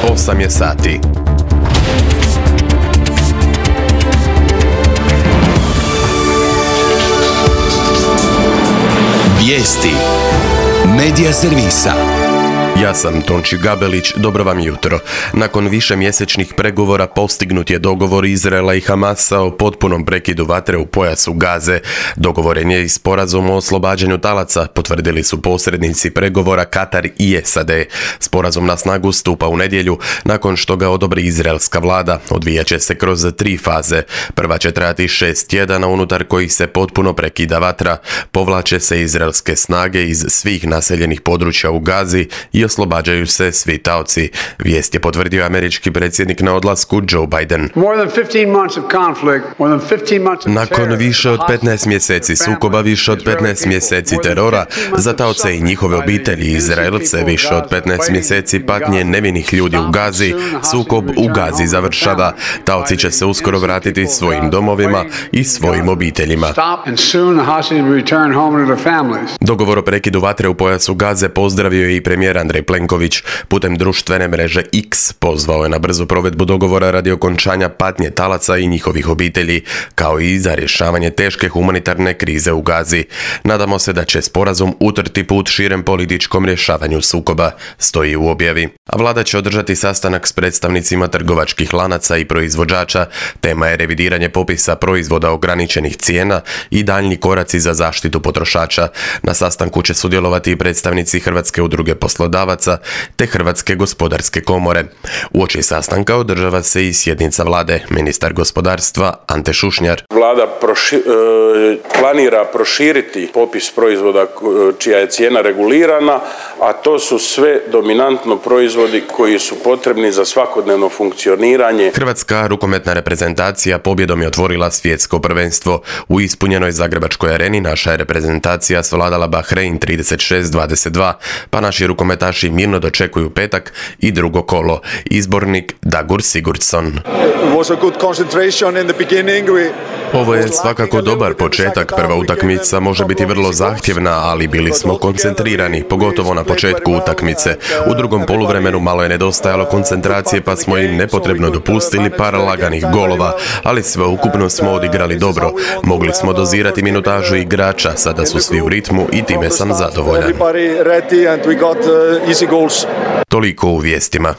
8 je sati. Vijesti Medija servisa. Ja sam Tonči Gabelić, dobro vam jutro. Nakon višemjesečnih pregovora postignut je dogovor Izraela i Hamasa o potpunom prekidu vatre u pojasu Gaze. Dogovoren je i sporazum o oslobađanju talaca, potvrdili su posrednici pregovora Katar i SAD. Sporazum na snagu stupa u nedjelju, nakon što ga odobri izraelska vlada. Odvijat će se kroz 3 faze. Prva će trajati 6 tjedana, unutar kojih se potpuno prekida vatra. Povlače se izraelske snage iz svih naseljenih područja u Gazi i oslobađaju se svi taoci. Vijest je potvrdio američki predsjednik na odlasku Joe Biden. Nakon više od 15 mjeseci sukoba, više od 15 mjeseci terora, za taoce i njihove obitelji Izraelce, više od 15 mjeseci patnje nevinih ljudi u Gazi, sukob u Gazi završava. Taoci će se uskoro vratiti svojim domovima i svojim obiteljima. Dogovor o prekidu vatre u pojasu Gaze pozdravio je i premijer Andrej Plenković. Putem društvene mreže X pozvao je na brzu provedbu dogovora radi okončanja patnje talaca i njihovih obitelji, kao i za rješavanje teške humanitarne krize u Gazi. Nadamo se da će sporazum utrti put širem političkom rješavanju sukoba, stoji u objavi. A vlada će održati sastanak s predstavnicima trgovačkih lanaca i proizvođača. Tema je revidiranje popisa proizvoda ograničenih cijena i daljnji koraci za zaštitu potrošača. Na sastanku će sudjelovati i predstavnici Hrvatske udruge poslodavaca te Hrvatske gospodarske komore. Uoči sastanka održava se i sjednica vlade. Ministar gospodarstva Ante Šušnjar. Vlada planira proširiti popis proizvoda čija je cijena regulirana, a to su sve dominantno proizvodi koji su potrebni za svakodnevno funkcioniranje. Hrvatska rukometna reprezentacija pobjedom je otvorila svjetsko prvenstvo. U ispunjenoj Zagrebačkoj areni naša je reprezentacija svladala Bahrein 36-22, pa naši rukometaši mirno dočekuju petak i drugo kolo. Izbornik Dagur Sigurdsson. Ovo je svakako dobar početak. Prva utakmica može biti vrlo zahtjevna, ali bili smo koncentrirani, pogotovo na početku utakmice. U drugom poluvremenu malo je nedostajalo koncentracije, pa smo im nepotrebno dopustili par laganih golova, ali sveukupno smo odigrali dobro. Mogli smo dozirati minutažu igrača, sada su svi u ritmu i time sam zadovoljan. Toliko u vijestima.